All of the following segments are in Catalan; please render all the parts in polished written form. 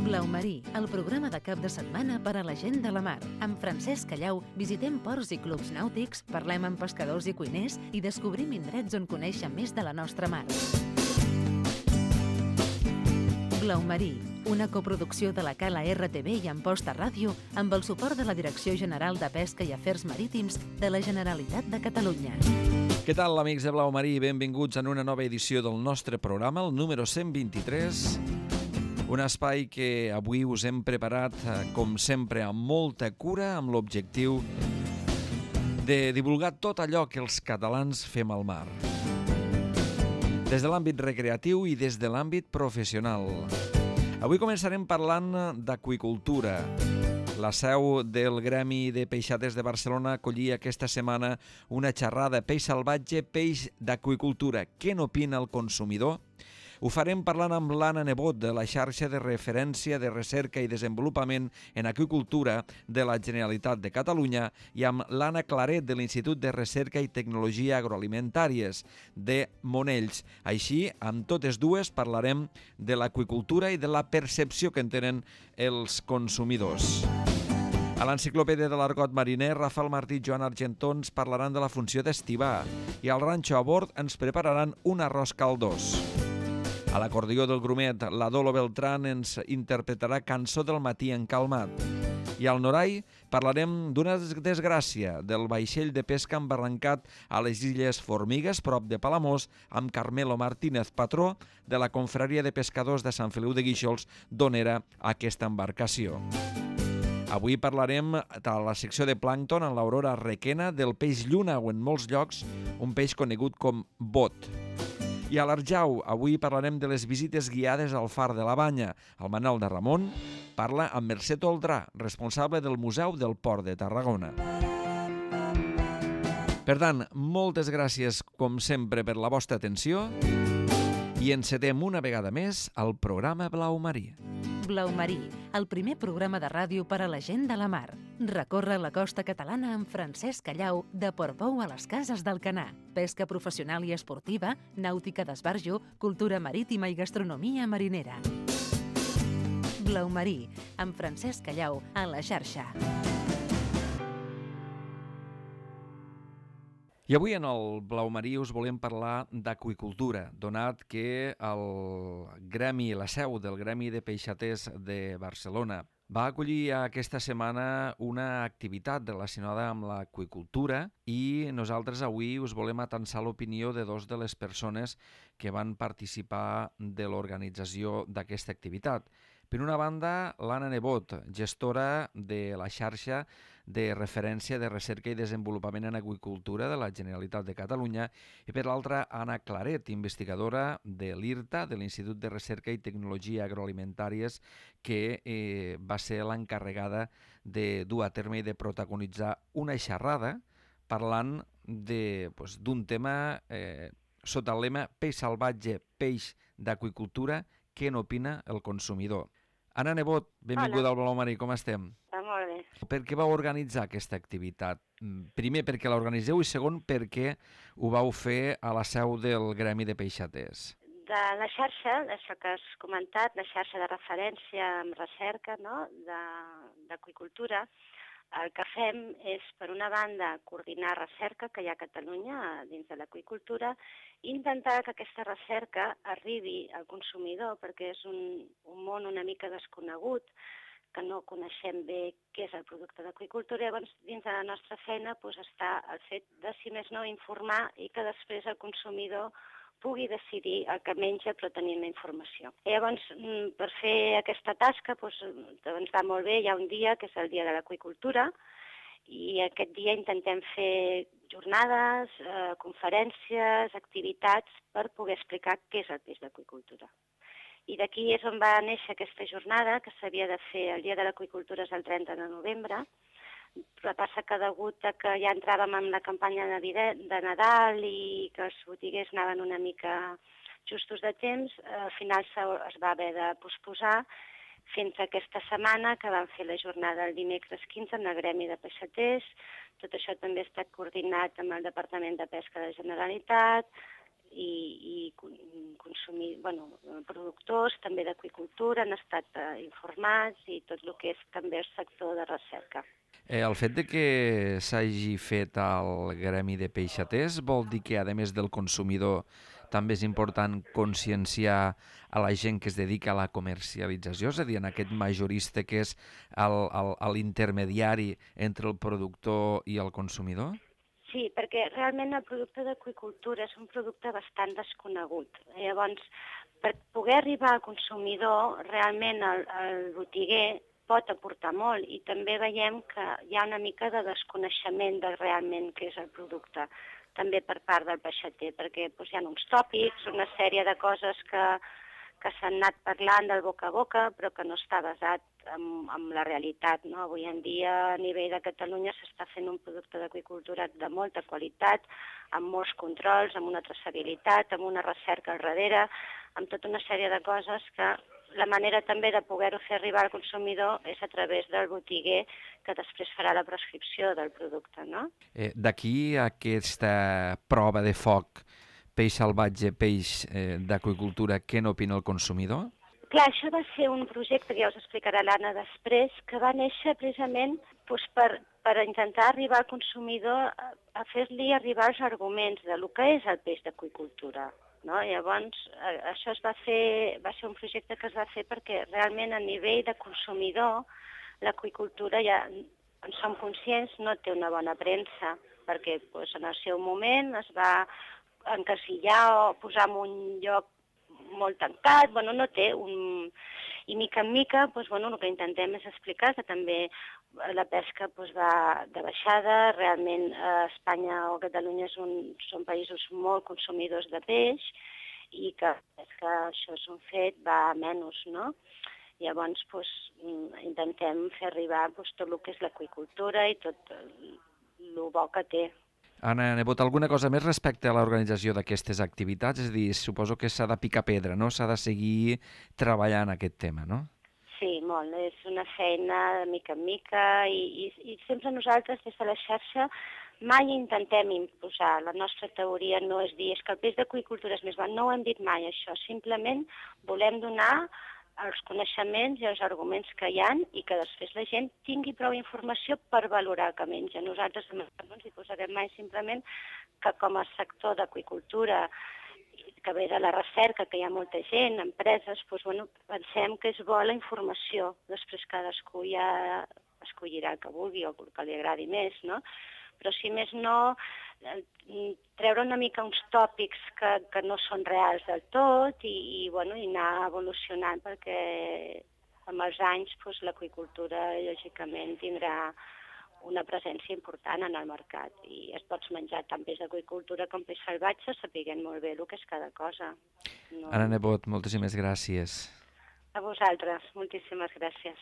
Blau Marí, el programa de cap de setmana per a la gent de la mar. Amb Francesc Callau visitem ports i clubs nàutics, parlem amb pescadors i cuiners i descobrim indrets on conèixer més de la nostra mar. Blau Marí, una coproducció de la Cala RTV i Amposta Ràdio amb el suport de la Direcció General de Pesca i Afers Marítims de la Generalitat de Catalunya. Què tal, amics de Blau Marí? Benvinguts en una nova edició del nostre programa, el número 123. Un espai que avui us hem preparat, com sempre, amb molta cura, amb l'objectiu de divulgar tot allò que els catalans fem al mar. Des de l'àmbit recreatiu i des de l'àmbit professional. Avui començarem parlant d'aqüicultura. La seu del Gremi de Peixaters de Barcelona acollia aquesta setmana una xerrada Peix salvatge, peix d'aqüicultura. Què n'opina el consumidor? Ho farem parlant amb l'Anna Nebot, de la xarxa de referència de recerca i desenvolupament en aqüicultura de la Generalitat de Catalunya, i amb l'Anna Claret, de l'Institut de Recerca i Tecnologia Agroalimentàries de Monells. Així, amb totes dues parlarem de l'aqüicultura i de la percepció que en tenen els consumidors. A l'Enciclopèdia de l'Argot Mariner, Rafael Martí i Joan Argentó ens parlaran de la funció d'estivar, i al Ranxo a bord ens prepararan un arròs caldós. A l'acordió del Grumet, la Dolo Beltrán ens interpretarà Cançó del matí en calmat. I al Norai parlarem d'una desgràcia, del vaixell de pesca embarrancat a les Illes Formigues, prop de Palamós, amb Carmelo Martínez, patró de la Confraria de Pescadors de Sant Feliu de Guíxols, d'on era aquesta embarcació. Avui parlarem a la secció de plàncton en l'Aurora Requena del peix lluna, o en molts llocs un peix conegut com bot. I a l'Arjau, avui parlarem de les visites guiades al Far de la Banya. El Manel de Ramon parla amb Mercè Toldrà, responsable del Museu del Port de Tarragona. Per tant, moltes gràcies, com sempre, per la vostra atenció i encetem una vegada més el programa Blau Marí. Blau Marí, el primer programa de ràdio per a la gent de la mar. Recorre la costa catalana amb Francesc Callau, de Portbou a les Cases d'Alcanar. Pesca professional i esportiva, nàutica d'esbarjo, cultura marítima i gastronomia marinera. Blau Marí, amb Francesc Callau, a la xarxa. I avui en el Blau Marí us volem parlar d'aqüicultura, donat que el Gremi, la seu del Gremi de Peixaters de Barcelona, va acollir aquesta setmana una activitat relacionada amb l'aqüicultura i nosaltres avui us volem atansar l'opinió de dos de les persones que van participar de l'organització d'aquesta activitat. Per una banda, l'Anna Nebot, gestora de la xarxa de referència de recerca i desenvolupament en aqüicultura de la Generalitat de Catalunya, i per l'altra, Anna Claret, investigadora de l'IRTA, de l'Institut de Recerca i Tecnologia Agroalimentàries, que va ser l'encarregada de dur a terme i de protagonitzar una xerrada parlant d'un tema sota el lema Peix salvatge, peix d'aqüicultura, què n'opina el consumidor. Anna Nebot, benvinguda al Blau Marí, com estem? Molt bé. Per què vau organitzar aquesta activitat? Primer, perquè l'organitzeu, i segon, perquè ho vau fer a la seu del Gremi de Peixaters. De la xarxa, això que has comentat, la xarxa de referència amb recerca, no?, d'aqüicultura, el que fem és, per una banda, coordinar recerca que hi ha a Catalunya dins de l'aqüicultura i intentar que aquesta recerca arribi al consumidor, perquè és un món una mica desconegut, que no coneixem bé què és el producte d'aqüicultura. Llavors, dins de la nostra feina està el fet de, si més no, informar i que després el consumidor pugui decidir el que menja però tenint la informació. Llavors, per fer aquesta tasca ens va molt bé, hi ha un dia que és el dia de l'aqüicultura i aquest dia intentem fer jornades, conferències, activitats per poder explicar què és el peix d'aqüicultura. I d'aquí és on va néixer aquesta jornada, que s'havia de fer el dia de l'aqüicultura és el 30 de novembre, però passa que degut a que ja entràvem en la campanya de Nadal i que els botiguers anaven una mica justos de temps, al final es va haver de posposar fins a aquesta setmana que vam fer la jornada el dimecres 15 en el Gremi de Peixaters. Tot això també ha estat coordinat amb el Departament de Pesca de la Generalitat productors també d'aqüicultura han estat informats i tot el que és també el sector de recerca. El fet de que s'hagi fet el gremi de peixaters vol dir que, a més del consumidor, també és important conscienciar a la gent que es dedica a la comercialització, és a dir, en aquest majorista que és l'intermediari entre el productor i el consumidor? Sí, perquè realment el producte d'aqüicultura és un producte bastant desconegut. Llavors, per poder arribar al consumidor, realment el botiguer pot aportar molt i també veiem que hi ha una mica de desconeixement de realment què és el producte, també per part del peixater, perquè hi ha uns tòpics, una sèrie de coses que s'han anat parlant del boca a boca, però que no està basat en la realitat. No? Avui en dia, a nivell de Catalunya, s'està fent un producte d'aqüicultura de molta qualitat, amb molts controls, amb una traçabilitat, amb una recerca al darrere, amb tota una sèrie de coses que la manera també de poder-ho fer arribar al consumidor és a través del botiguer que després farà la prescripció del producte. No? D'aquí aquesta prova de foc, peix salvatge, peix d'aqüicultura, què n'opina el consumidor? Clar, això va ser un projecte, que ja us explicarà l'Anna després, que va néixer precisament per intentar arribar al consumidor a fer-li arribar els arguments de lo que és el peix d'aqüicultura. No? Llavors, això va ser un projecte que es va fer perquè realment a nivell de consumidor l'aqüicultura, ja en som conscients, no té una bona premsa, perquè en el seu moment es va encasillar o posar en un lloc molt tancat, no té un... I mica en mica, el que intentem és explicar que també la pesca va de baixada, realment Espanya o Catalunya són països molt consumidors de peix i que això és un fet, va a menys, no? Llavors, intentem fer arribar tot el que és l'aqüicultura i tot el bo que té. Anna Nebot, alguna cosa més respecte a l'organització d'aquestes activitats? És a dir, suposo que s'ha de picar pedra, no? S'ha de seguir treballant aquest tema, no? Sí, molt. És una feina de mica en mica i sempre nosaltres, des de la xarxa, mai intentem imposar. La nostra teoria no és dir que el peix d'aqüicultura és més bo, no ho hem dit mai, això. Simplement volem donar els coneixements i els arguments que hi ha i que després la gent tingui prou informació per valorar el que menja. Nosaltres no ens hi posarem mai, simplement que com a sector d'aqüicultura, que ve de la recerca, que hi ha molta gent, empreses, pensem que és bo la informació. Després cadascú ja escollirà el que vulgui o el que li agradi més, no? Però si més no, treure una mica uns tòpics que no són reals del tot i anar evolucionant, perquè amb els anys l'aqüicultura lògicament tindrà una presència important en el mercat i es pots menjar tant peix d'aqüicultura com peix salvatge, sapiguent molt bé el que és cada cosa. Anna Nebot, moltíssimes gràcies. A vosaltres, moltíssimes gràcies.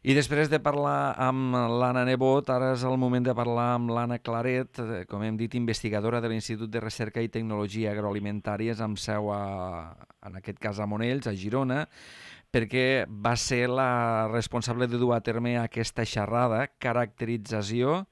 I després de parlar amb l'Anna Nebot, ara és el moment de parlar amb l'Anna Claret, com hem dit, investigadora de l'Institut de Recerca i Tecnologia Agroalimentàries, amb seu, en aquest cas, a Monells, a Girona, perquè va ser la responsable de dur a terme aquesta xerrada, caracterització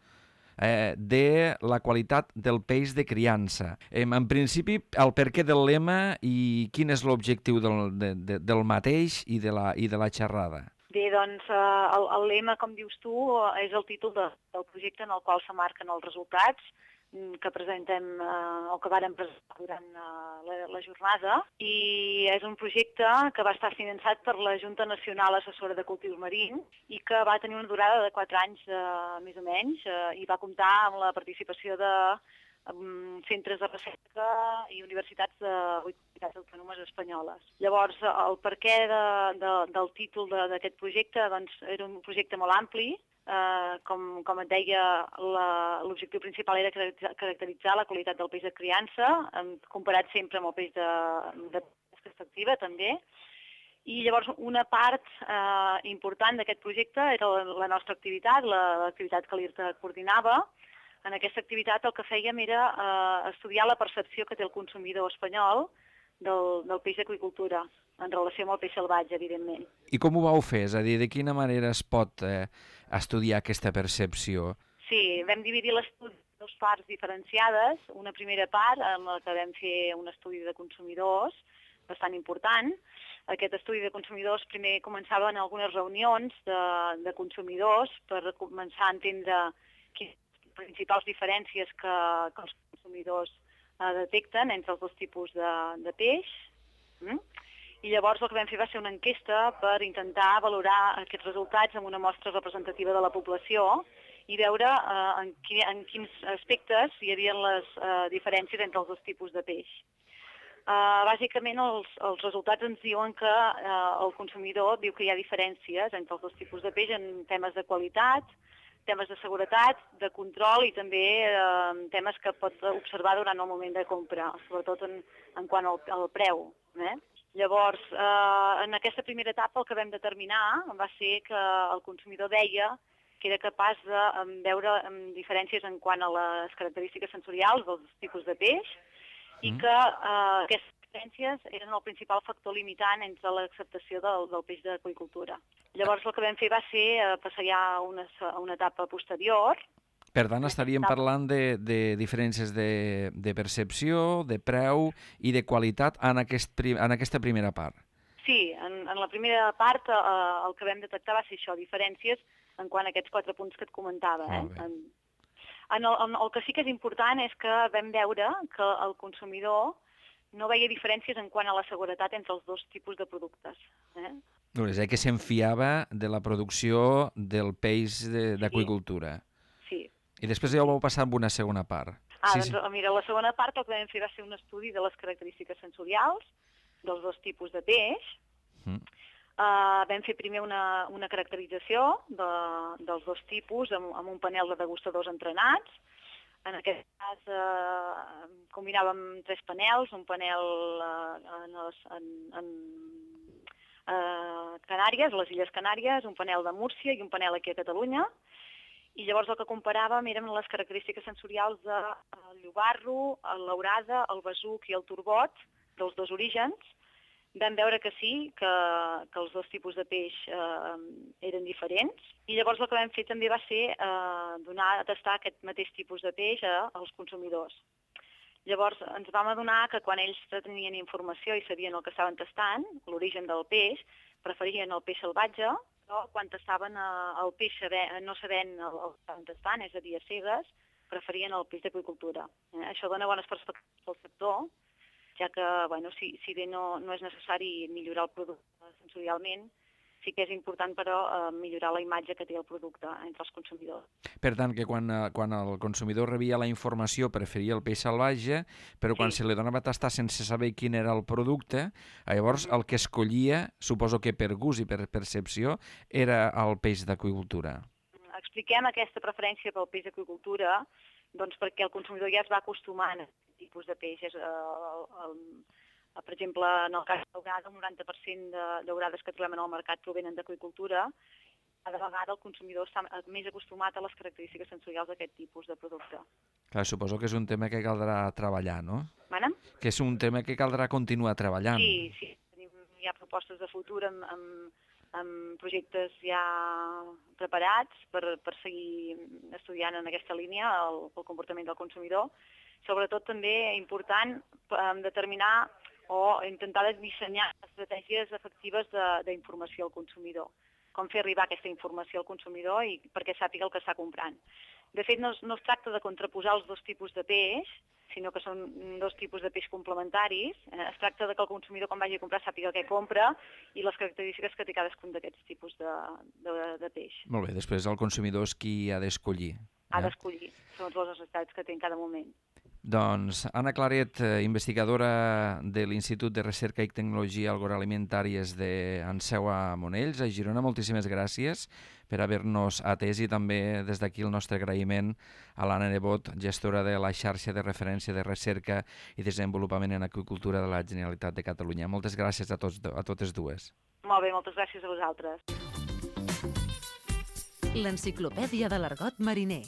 de la qualitat del peix de criança. En principi, el perquè del lema i quin és l'objectiu del mateix i de la xerrada. Bé, doncs el lema, com dius tu, és el títol del projecte en el qual s'amarquen els resultats que presentem o que vàrem presentar durant la jornada, i és un projecte que va estar finançat per la Junta Nacional Assessora de Cultius Marins i que va tenir una durada de 4 anys més o menys i va comptar amb la participació de centres de recerca i universitats de 8 comunitats autònomes espanyoles. Llavors, el perquè del títol d'aquest projecte era un projecte molt ampli. Com et deia, l'objectiu principal era caracteritzar la qualitat del peix de criança, comparat sempre amb el peix de pesca extractiva, també. I llavors una part important d'aquest projecte era la nostra activitat, l'activitat que l'IRTA coordinava. En aquesta activitat el que fèiem era estudiar la percepció que té el consumidor espanyol del peix d'aqüicultura en relació amb el peix salvatge, evidentment. I com ho vau fer? És a dir, de quina manera es pot estudiar aquesta percepció? Sí, vam dividir l'estudi dues parts diferenciades. Una primera part en la que vam fer un estudi de consumidors bastant important. Aquest estudi de consumidors primer començava en algunes reunions de consumidors per començar a entendre quines principals diferències que els consumidors detecten entre els dos tipus de peix. I llavors el que vam fer va ser una enquesta per intentar valorar aquests resultats amb una mostra representativa de la població i veure en quins aspectes hi havia les diferències entre els dos tipus de peix. Bàsicament els resultats ens diuen que el consumidor diu que hi ha diferències entre els dos tipus de peix en temes de qualitat, temes de seguretat, de control i també temes que pot observar durant el moment de compra, sobretot en quant al preu. Llavors, en aquesta primera etapa el que vam determinar va ser que el consumidor deia que era capaç de veure diferències en quant a les característiques sensorials dels tipus de peix i que aquestes diferències eren el principal factor limitant entre l'acceptació del peix d'aqüicultura. Llavors el que vam fer va ser passar ja a una etapa posterior. Per tant, estaríem parlant de diferències de percepció, de preu i de qualitat en aquesta primera part. Sí, en la primera part el que vam detectar va ser això, diferències en quant a aquests 4 punts que et comentava. El que sí que és important és que vam veure que el consumidor no veia diferències en quant a la seguretat entre els dos tipus de productes. És que s'enfiava de la producció del peix d'aqüicultura. Sí. I després ja ho vau passar amb una segona part. Doncs mira, la segona part el que vam fer va ser un estudi de les característiques sensorials dels dos tipus de peix. Vam fer primer una caracterització dels dos tipus amb un panel de degustadors entrenats. En aquest cas combinàvem 3 panels, un panel en Canàries, les Illes Canàries, un panel de Múrcia i un panel aquí a Catalunya. I llavors el que comparàvem eren les característiques sensorials del llobarro, l'aurada, el besuc i el turbot dels dos orígens. Vam veure que sí, que els dos tipus de peix eren diferents. I llavors el que vam fer també va ser donar a tastar aquest mateix tipus de peix als consumidors. Llavors ens vam adonar que quan ells tenien informació i sabien el que estaven tastant, l'origen del peix, preferien el peix salvatge, però quan tastaven el peix no sabent el que estaven tastant, és a dir, a cegues, preferien el peix d'aqüicultura. Això dona bones perspectives al sector, ja que si bé no és necessari millorar el producte sensorialment, sí que és important, però, millorar la imatge que té el producte entre els consumidors. Per tant, que quan el consumidor rebia la informació preferia el peix salvatge, però quan se li donava a tastar sense saber quin era el producte, llavors el que escollia, suposo que per gust i per percepció, era el peix d'aqüicultura. Expliquem aquesta preferència pel peix d'aqüicultura perquè el consumidor ja es va acostumant a aquest tipus de peix. Per exemple, en el cas de l'aurada, el 90% de daurades que trobem en el mercat provenen d'aqüicultura. Cada vegada el consumidor està més acostumat a les característiques sensorials d'aquest tipus de producte. Clar, suposo que és un tema que caldrà treballar, no? Que és un tema que caldrà continuar treballant. Sí. Hi ha propostes de futur amb projectes ja preparats per seguir estudiant en aquesta línia el comportament del consumidor. Sobretot també important determinar o intentar dissenyar estratègies efectives d'informació al consumidor. Com fer arribar aquesta informació al consumidor i perquè sàpiga el que està comprant. De fet, no es tracta de contraposar els dos tipus de peix, sinó que són dos tipus de peix complementaris. Es tracta de que el consumidor, quan vagi a comprar, sàpiga què compra i les característiques que té cadascun d'aquests tipus de peix. Molt bé, després el consumidor és qui ha d'escollir. Ha d'escollir, segons les necessitats que té en cada moment. Doncs Anna Claret, investigadora de l'Institut de Recerca i Tecnologia Agroalimentàries d'Enseu a Monells, a Girona, moltíssimes gràcies per haver-nos atès i també des d'aquí el nostre agraïment a l'Anna Nebot, gestora de la xarxa de referència de recerca i desenvolupament en aqüicultura de la Generalitat de Catalunya. Moltes gràcies a totes dues. Molt bé, moltes gràcies a vosaltres. L'Enciclopèdia de l'Argot Mariner.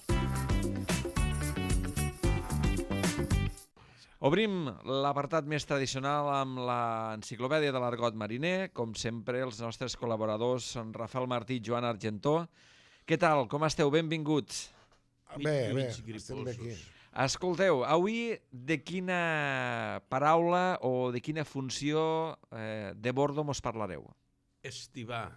Obrim l'apartat més tradicional amb l'Enciclopèdia de l'Argot Mariner. Com sempre, els nostres col·laboradors són Rafael Martí i Joan Argentó. Què tal? Com esteu? Benvinguts. Bé, mig estem bé aquí. griposos. Escolteu, avui de quina paraula o de quina funció de bordo mos parlareu? Estivar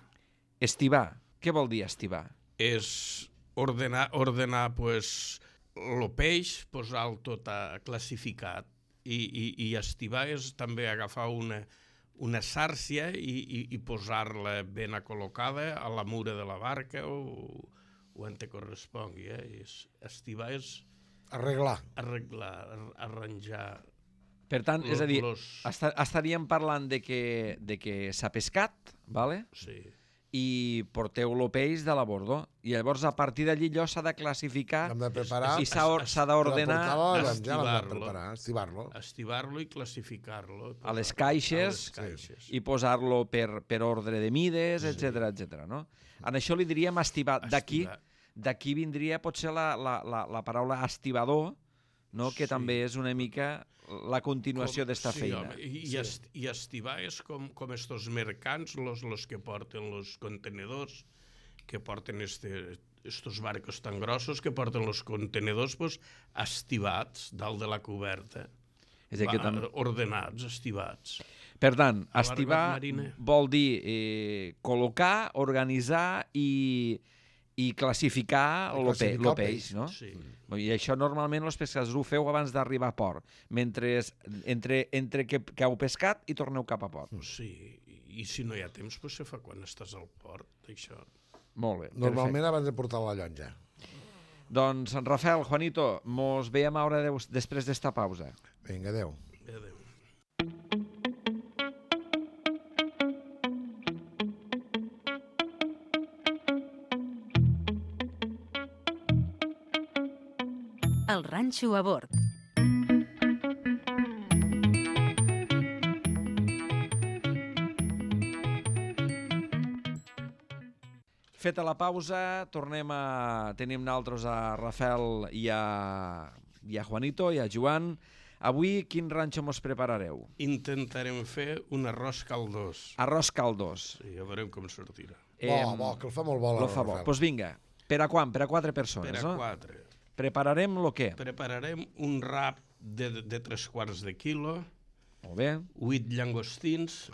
Estivar. Què vol dir estivar? és ordenar pues, el peix, posar-lo tot classificat, i estivar és també agafar una sàrcia i posar-la ben acol·locada a la mura de la barca o on te correspongui. Estivar és Arreglar. arreglar, arranjar. Per tant, és a dir, Los- estaríem parlant de que s'ha pescat, vale? Sí. I porteu el peix de la bordo. I llavors, a partir d'allí, allò s'ha de classificar L'hem de preparar. i s'ha d'ordenar Per portar-lo a la llotja l'hem de estivar-lo. preparar, estivar-lo. Estivar-lo i classificar-lo. a les caixes, i posar-lo per ordre de mides, etc etc. No? En això li diríem estivar. Estivar. D'aquí vindria potser la paraula estibador, no? Que Sí. també és una mica la continuació d'esta feina. Home, i estivar és com estos mercants, los que porten los contenedors, que porten estos barcos tan grossos que porten los contenedors pues, estivats dalt de la coberta. És a dir, que Ordenats, estivats. Per tant, La estivar barca marina. vol dir col·locar, organitzar i classificar el classificar el peix, no? Sí. I això normalment els pescadors ho feu abans d'arribar a port, mentre entre que heu pescat i torneu cap a port. Sí, i si no hi ha temps, pues se fa quan estàs al port, això. Molt bé, Normalment abans de portar la llotja. perfecte. Doncs, Rafael, Juanito, mos veiem ara després d'esta pausa. Vinga, adeu. Adéu. El ranxo a bord. Feta la pausa, tenim naltros a Rafael i a Juanito i a Joan. Avui quin ranxo mos preparareu? Intentarem fer un arròs caldós. Arròs caldós. Sí, ja veurem com sortirà. Bo, que el fa molt bo. Lo fa bo. Doncs vinga, per a quan? Per a 4 persones, Per a no? 4. Prepararem lo què? Prepararem un rap de 3/4 de quilo, Molt bé. 8 llangostins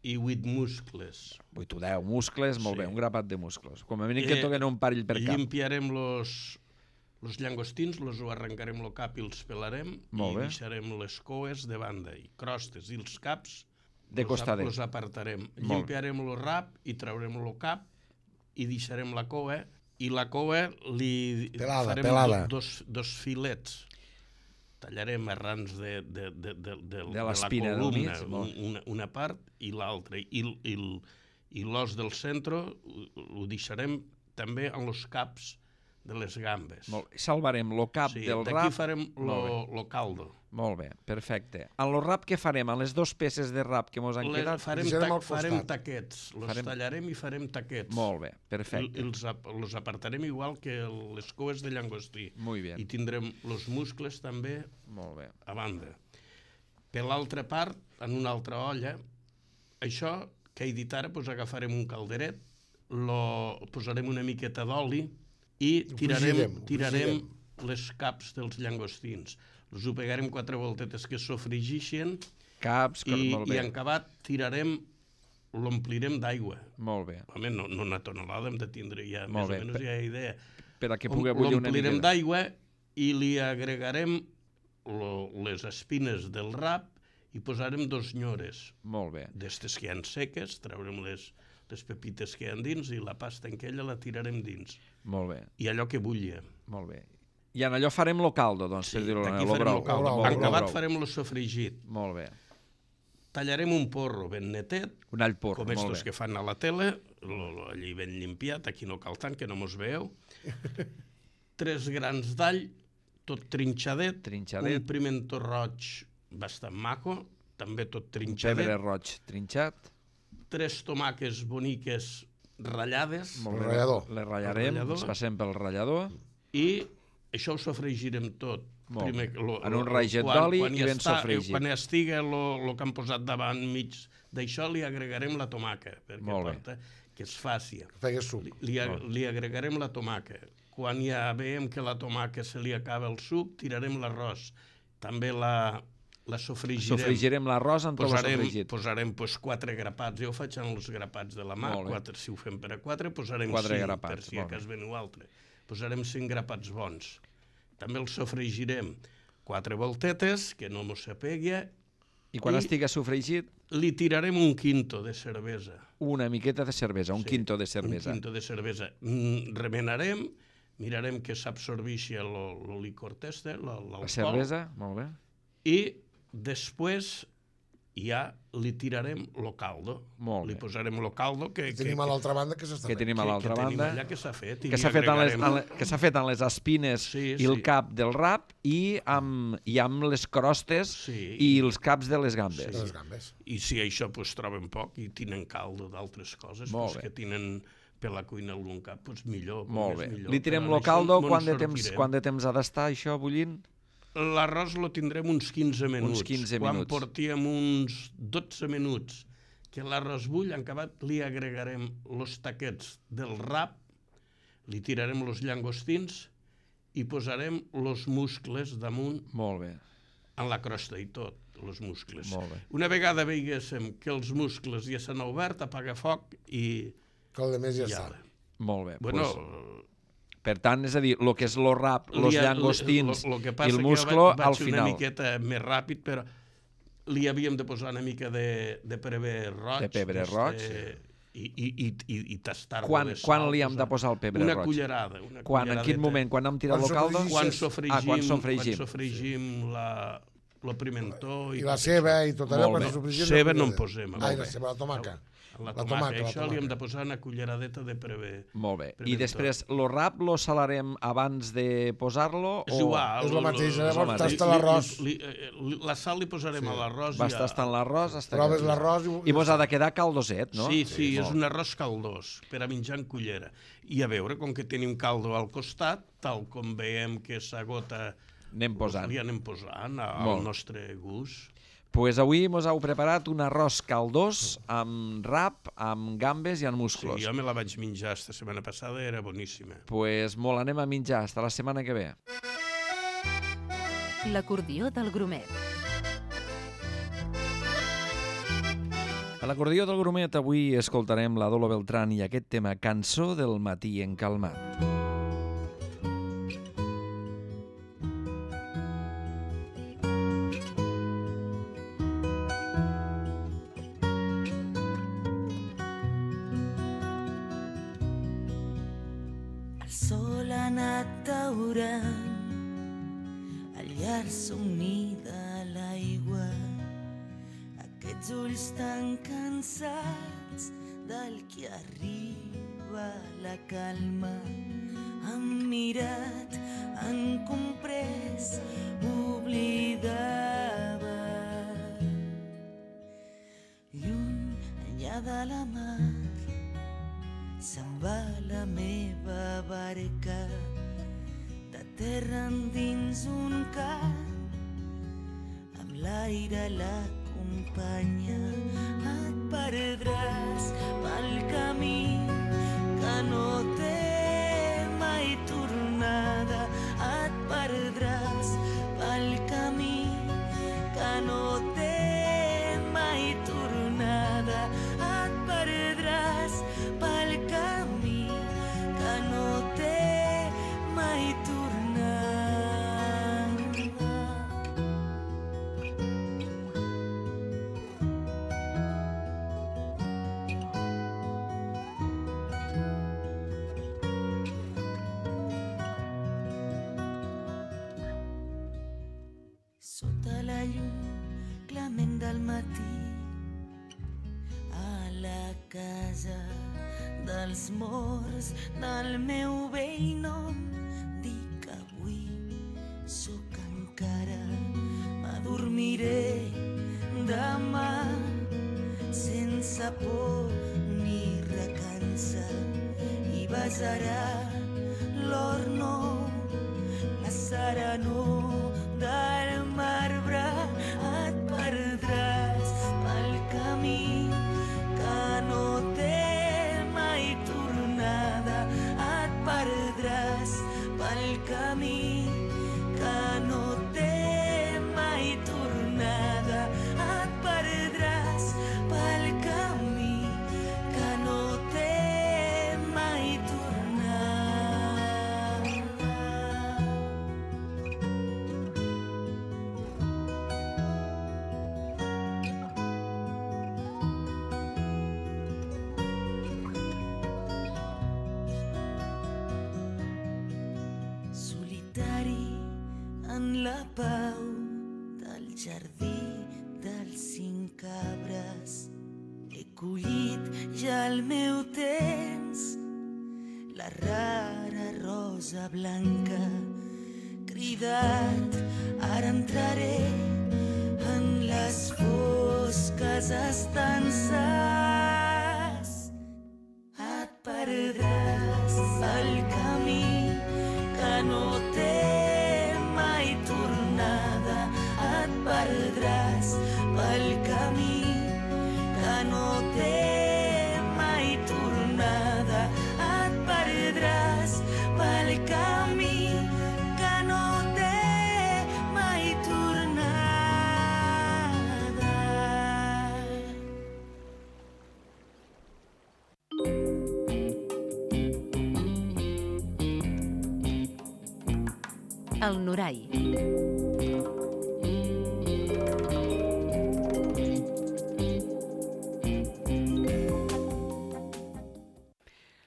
i 8 muscles. 8 o 10 muscles, molt Sí. bé, un grapat de muscles. Com a mínim que toquen un parell per cap. Limpiarem los llangostins, los ho arrencarem el cap i els pelarem Molt i bé. deixarem les coes de banda i crostes i els caps De costadet. los apartarem. Molt. Limpiarem el rap i traurem el cap i deixarem la coa i la coa li farem pelada. dos filets. Tallarem arrans de la l'espina del columna, mig, molt. una part i l'altra. I l'os del centre ho deixarem també en els caps de les gambes. Molt bé. Salvarem lo cap Sí, del d'aquí rap. farem Molt lo caldo. Molt bé, perfecte. En lo rap què farem? En les 2 peces de rap que mos han quedat? Farem Deixarem al farem costat. taquets. Los tallarem i farem taquets. Molt bé, perfecte. Els apartarem igual que les coes de llangostí. Muy bien. I tindrem els muscles també Molt bé. a banda. Per l'altra part, en una altra olla, això que he dit ara, doncs agafarem un calderet, posarem una miqueta d'oli i tirarem les caps dels llangostins. Els ho pegarem 4 voltetes que sofregixen Caps, molt i bé. en acabat l'omplirem d'aigua. Molt bé. Home, no una tonelada hem de tindre ja, Molt més bé. o menys ja hi ha idea. Per a que pugui bullir una L'omplirem mica. d'aigua i li agregarem les espines del rap i posarem 2 nyores. Molt bé. D'estes que hi ha seques, traurem les pepites que hi ha dins i la pasta en aquella la tirarem dins. Molt bé. I allò que bullia. Molt bé. I en allò farem lo caldo, doncs, per dir-ho d'aquí lo farem brou. el caldo. Lo brou, En lo acabat brou. farem el sofregit. Molt bé. Tallarem un porro ben netet, Un all porro, com molt estos bé. que fan a la tele, allí ben limpiat, aquí no cal tant, que no mos veieu. 3 grans d'all, tot trinxadet, Trinxadet. un pimentó roig bastant maco, també tot Pebre trinxadet, roig trinxat. 3 tomàques boniques ratllades Molt bé. ratllador. Les ratllarem, ratllador. ens passem pel ratllador. i això ho sofregirem tot. Molt bé. Primer, En un raiget d'oli i ben sofregit. Quan estigui el que han posat davant mig d'això, li agregarem la tomaca, perquè Molt bé. porta, que es faci. Feia suc. Li agregarem la tomaca. Quan ja veiem que la tomaca se li acaba el suc, tirarem l'arròs. També la sofregirem. Sofregirem l'arròs amb tot el sofregit. Posarem 4 grapats. Jo ho faig en els grapats de la mà. 4, si ho fem per a 4, posarem 4 5, grapats, per si a cas veniu altre. Posarem 5 grapats bons. També el sofregirem 4 voltetes, que no mos s'apegui. I quan estigui sofregit? Li tirarem un quinto de cervesa. Una miqueta de cervesa, un quinto de cervesa. Un quinto de cervesa. Remenarem, mirarem que s'absorbeixi el licor teste, l'alcohol. La cervesa, molt bé. I després ja li tirarem lo caldo. Molt bé. Li posarem lo caldo que tenim a l'altra banda que s'està fent. Que tenim a l'altra banda. Allà que s'ha fet. Que s'ha fet en les espines i el cap del rap i amb les crostes i els caps de les gambes. De les gambes. I si això troben poc i tenen caldo d'altres coses, que tenen per la cuina algun cap, millor. Molt bé. Li tirem lo caldo, quant de temps ha d'estar això bullint? L'arròs lo tindrem uns 15 minuts. Uns 15 minuts. Quan portíem uns 12 minuts que l'arròs bull, en acabat li agregarem els taquets del rap, li tirarem els llangostins i posarem els muscles damunt. Molt bé. En la crosta i tot, els muscles. Molt bé. Una vegada veiguéssim que els muscles ja s'han obert, apaga foc i... Que el de més ja està. Molt bé. Bueno... Per tant, és a dir, el que és el rap, els llangostins i el musclo, al final. Vaig una miqueta més ràpid, però li havíem de posar una mica de pebre roig. De pebre roig. I tastar-lo de sal. Quan li hem de posar el pebre roig? Una cullerada. En quin moment? Quan hem tirat el caldo? Quan sofregim el pimentó. I la ceba i tot allò. Ceba no en posem. Ai, la ceba, la tomaca. La tomaca, això li hem de posar una culleradeta de pebre. Molt bé. I després, el rap lo salarem abans de posar-lo? És igual. És el mateix, llavors tasta l'arròs. La sal li posarem a l'arròs. Vas tastant l'arròs. Proves l'arròs i mos ha de quedar caldoset, no? Sí, és un arròs caldós, per a menjar en cullera. I a veure, com que tenim caldo al costat, tal com veiem que s'agota, li anem posant al nostre gust. Pues avui mos heu preparat un arròs caldós amb rap, amb gambes i amb musclos. Sí, jo me la vaig menjar esta setmana passada, era boníssima. Pues molt, anem a menjar. Hasta la setmana que ve. L'acordió del Grumet. A l'acordió del Grumet avui escoltarem la Dolo Beltrán i aquest tema Cançó del matí encalmat. El llarg somni de l'aigua, aquests ulls tan cansats del que arriba la calma, han mirat, han comprès, oblidava. Lluny, enllà de la mar, se'n va la meva barca, terra endins un camp, amb l'aire l'acompanya. Et perdràs pel camí que no té mai tornada. Et perdràs pel camí que no té mai tornada. Et perdràs pel camí que no té mai tornada. Sota la llum clement del matí, a la casa dels morts del meu vell nom, dic avui sóc encara, m'adormiré demà sense por ni recança, i besarà l'or nou, la serenor del marbre. Et perdràs pel camí que no té mai en la pau del jardí dels 5 cabres. He collit ja el meu temps, la rara rosa blanca. Cridat, ara entraré en les fosques estances. Et perdràs el camí que no té mai tornada. Et perdràs pel camí que no té mai tornada. Et perdràs pel camí que no té mai tornada. El Norai.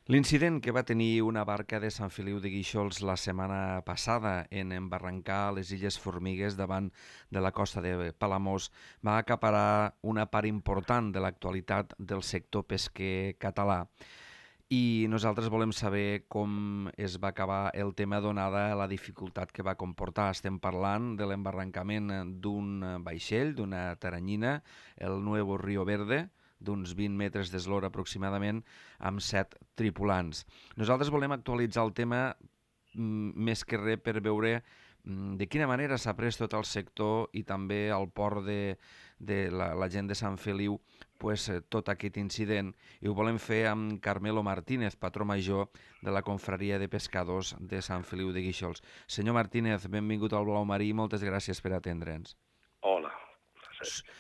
L'incident que va tenir una barca de Sant Feliu de Guíxols la setmana passada en embarrancar a les Illes Formigues davant de la costa de Palamós va acaparar una part important de l'actualitat del sector pesquer català. I nosaltres volem saber com es va acabar el tema donada la dificultat que va comportar. Estem parlant de l'embarrancament d'un vaixell, d'una taranyina, el Nuevo Río Verde, d'uns 20 metres d'eslora aproximadament, amb 7 tripulants. Nosaltres volem actualitzar el tema més que res per veure de quina manera s'ha pres tot el sector i també el port de la gent de Sant Feliu tot aquest incident, i ho volem fer amb Carmelo Martínez, patró major de la Confraria de Pescadors de Sant Feliu de Guíxols. Senyor Martínez, benvingut al Blau Marí i moltes gràcies per atendre'ns. Hola.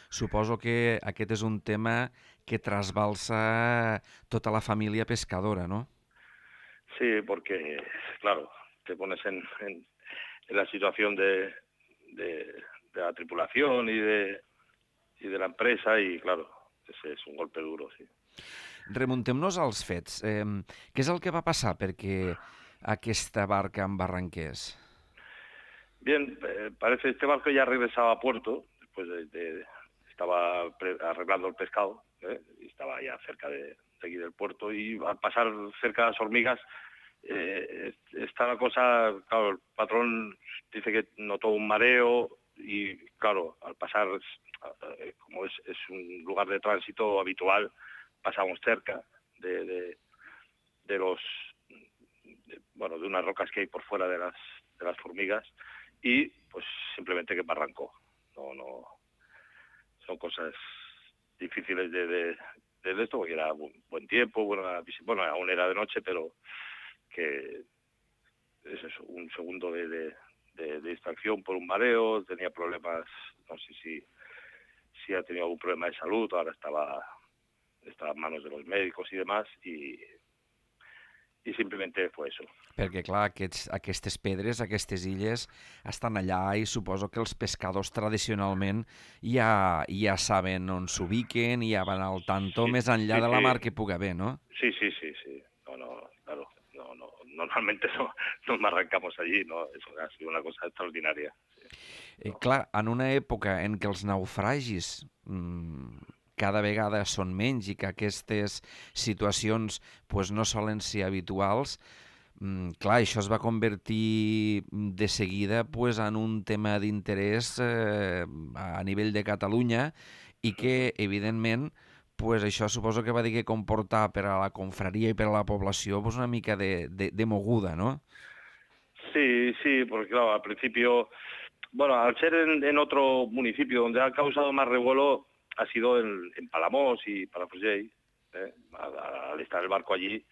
Suposo que aquest és un tema que trasbalsa tota la família pescadora, ¿no? Sí, porque, claro, te pones en la situación de la tripulación y de la empresa y, claro, ese es un golpe duro, sí. Remuntem-nos als fets. Què és el que va passar perquè aquesta barca embarranqués? Bien, parece que este barco ya regresaba a puerto, después estaba arreglando el pescado, y estaba ya cerca de aquí del puerto, y al pasar cerca de las hormigas, está la cosa, claro, el patrón dice que notó un mareo y, claro, al pasar, como es un lugar de tránsito habitual, pasamos cerca de unas rocas que hay por fuera de las formigas y, pues, simplemente que me arrancó. No, son cosas difíciles de esto, porque era buen tiempo, bueno, aún era de noche, pero que es eso, un segundo de distracción por un mareo, tenía problemas, no sé si ha tenido algún problema de salud, ahora estaba en manos de los médicos y demás, y simplement fue eso. Perquè, clar, aquestes pedres, aquestes illes, estan allà i suposo que els pescadors tradicionalment ja saben on s'ubiquen i ja van al tanto més enllà de la mar que pugui haver, ¿no? Sí. Claro. Normalmente no nos arrancamos allí, ¿no? Eso ha sido una cosa extraordinaria. Sí. Clar, en una època en què els naufragis cada vegada són menys i que aquestes situacions no solen ser habituals, clar, això es va convertir de seguida en un tema d'interès a nivell de Catalunya i que, evidentment, això suposo que va dir que comportar per a la confraria i per a la població una mica de moguda, ¿no? Sí, porque claro, al principio, al ser en otro municipio donde ha causado más revuelo ha sido en Palamós y Palafrugell, al estar el barco allí,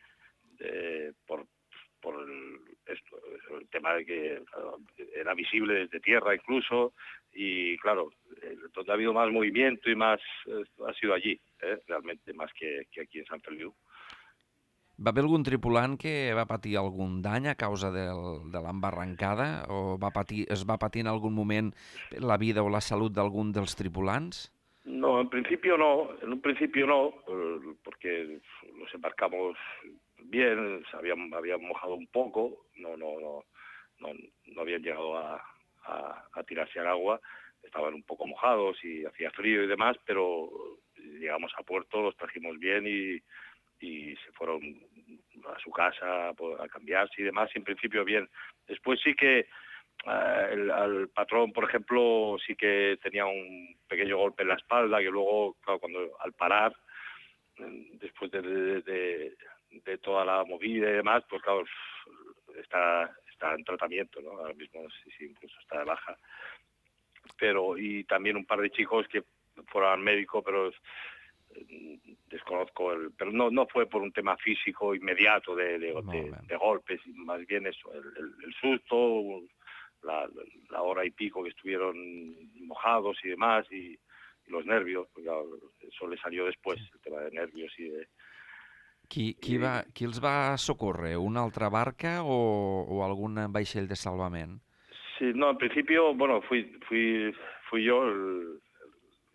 por el tema de que era visible desde tierra incluso, y claro, donde ha habido más movimiento y más ha sido allí, realmente, más que aquí en Sant Feliu. Va haver algun tripulant que va patir algun dany a causa de l'embarrancada o es va patir en algun moment la vida o la salut d'algun dels tripulants? No, en un principio no, porque nos embarcamos bien, habían mojado un poco, no habían llegado a a tirarse al agua. Estaban un poco mojados y hacía frío y demás, pero llegamos a puerto, los trajimos bien y se fueron a su casa a cambiarse y demás, y en principio bien. Después sí que al patrón, por ejemplo, sí que tenía un pequeño golpe en la espalda, que luego, claro, al parar, después de toda la movida y demás, pues claro, está en tratamiento, ¿no? Ahora mismo sí, incluso está de baja. Y también un par de chicos que fueron al médico, pero desconozco pero no fue por un tema físico inmediato de golpes, más bien eso, el susto, la hora y pico que estuvieron mojados y demás, y los nervios, porque eso le salió después, el tema de nervios y de... Qui els va socórrer? Una altra barca o algun vaixell de salvament? Sí, no, en principio, bueno, fui yo,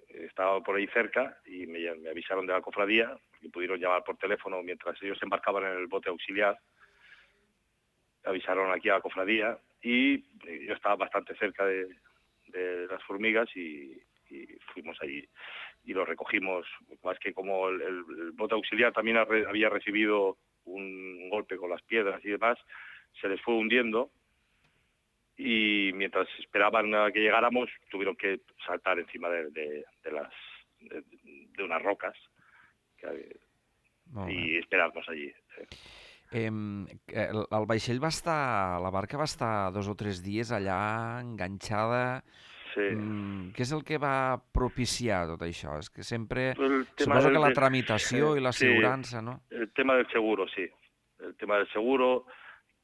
estaba por ahí cerca y me avisaron de la cofradía y pudieron llamar por teléfono mientras ellos se embarcaban en el bote auxiliar. Avisaron aquí a la cofradía y yo estaba bastante cerca de las formigas y fuimos allí y lo recogimos. Más que como el bote auxiliar también había recibido un golpe con las piedras y demás, se les fue hundiendo. Y mientras esperaban a que llegáramos, tuvieron que saltar encima de unas rocas y esperarnos allí. El vaixell la barca va estar 2 o 3 dies allà enganxada. Sí. Què és el que va propiciar tot això? És que sempre... Suposo que la tramitació i l'assegurança, ¿no? El tema del seguro, sí. El tema del seguro,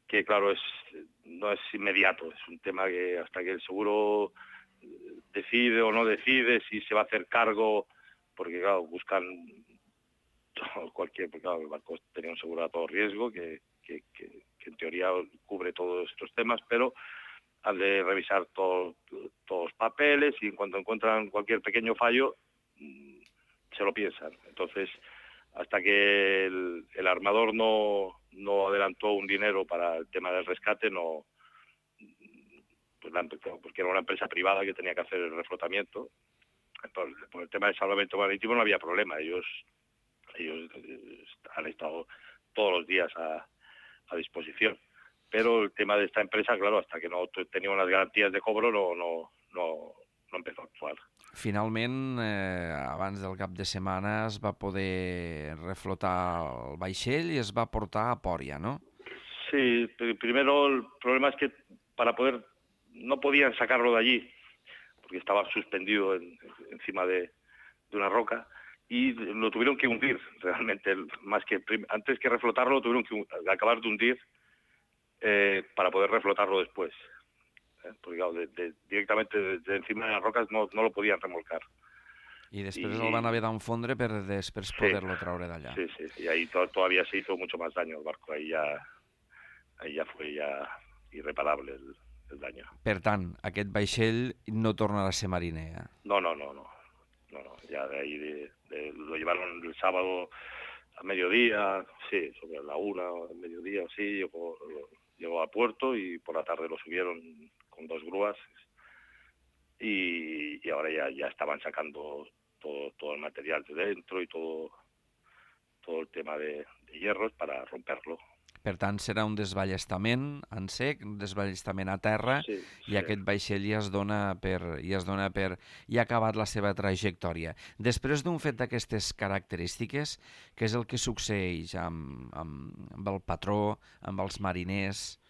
que claro, no es inmediato, es un tema que hasta que el seguro decide o no decide si se va a hacer cargo, porque claro, buscan porque claro, el barco tenía un seguro a todo riesgo que en teoría cubre todos estos temas, pero han de revisar todos los papeles y en cuanto encuentran cualquier pequeño fallo se lo piensan. Entonces, hasta que el armador no adelantó un dinero para el tema del rescate, porque era una empresa privada que tenía que hacer el reflotamiento. Por el tema del salvamento marítimo no había problema. Ellos han estado todos los días a disposición. Pero el tema de esta empresa, claro, hasta que no tenía unas garantías de cobro, no empezó a actuar. Finalment, abans del cap de setmana es va poder reflotar el vaixell i es va portar a Pòria, ¿no? Sí, primero el problema es que no podían sacarlo de allí, porque estaba suspendido encima de una roca, y lo tuvieron que hundir realmente, antes que reflotarlo lo tuvieron que acabar de hundir para poder reflotarlo después. Porque claro, directamente desde encima de las rocas no lo podían remolcar. I després el van haver d'enfondre per després poder-lo traure d'allà. Sí, y ahí todavía se hizo mucho más daño el barco, ahí ya fue irreparable el daño. Per tant, aquest vaixell no tornarà a ser mariner. No, ya de ahí lo llevaron el sábado a mediodía, sí, sobre la 1 del mediodía, sí, llegó a puerto y por la tarde lo subieron con 2 grúas y ahora ya estaban sacando todo el material de dentro y todo el tema de hierros para romperlo. Per tant, serà un desballestament en sec, un desballestament a terra, i aquest vaixell ja ha acabat la seva trajectòria. Després d'un fet d'aquestes característiques, què és el que succeeix amb el patró, amb els mariners?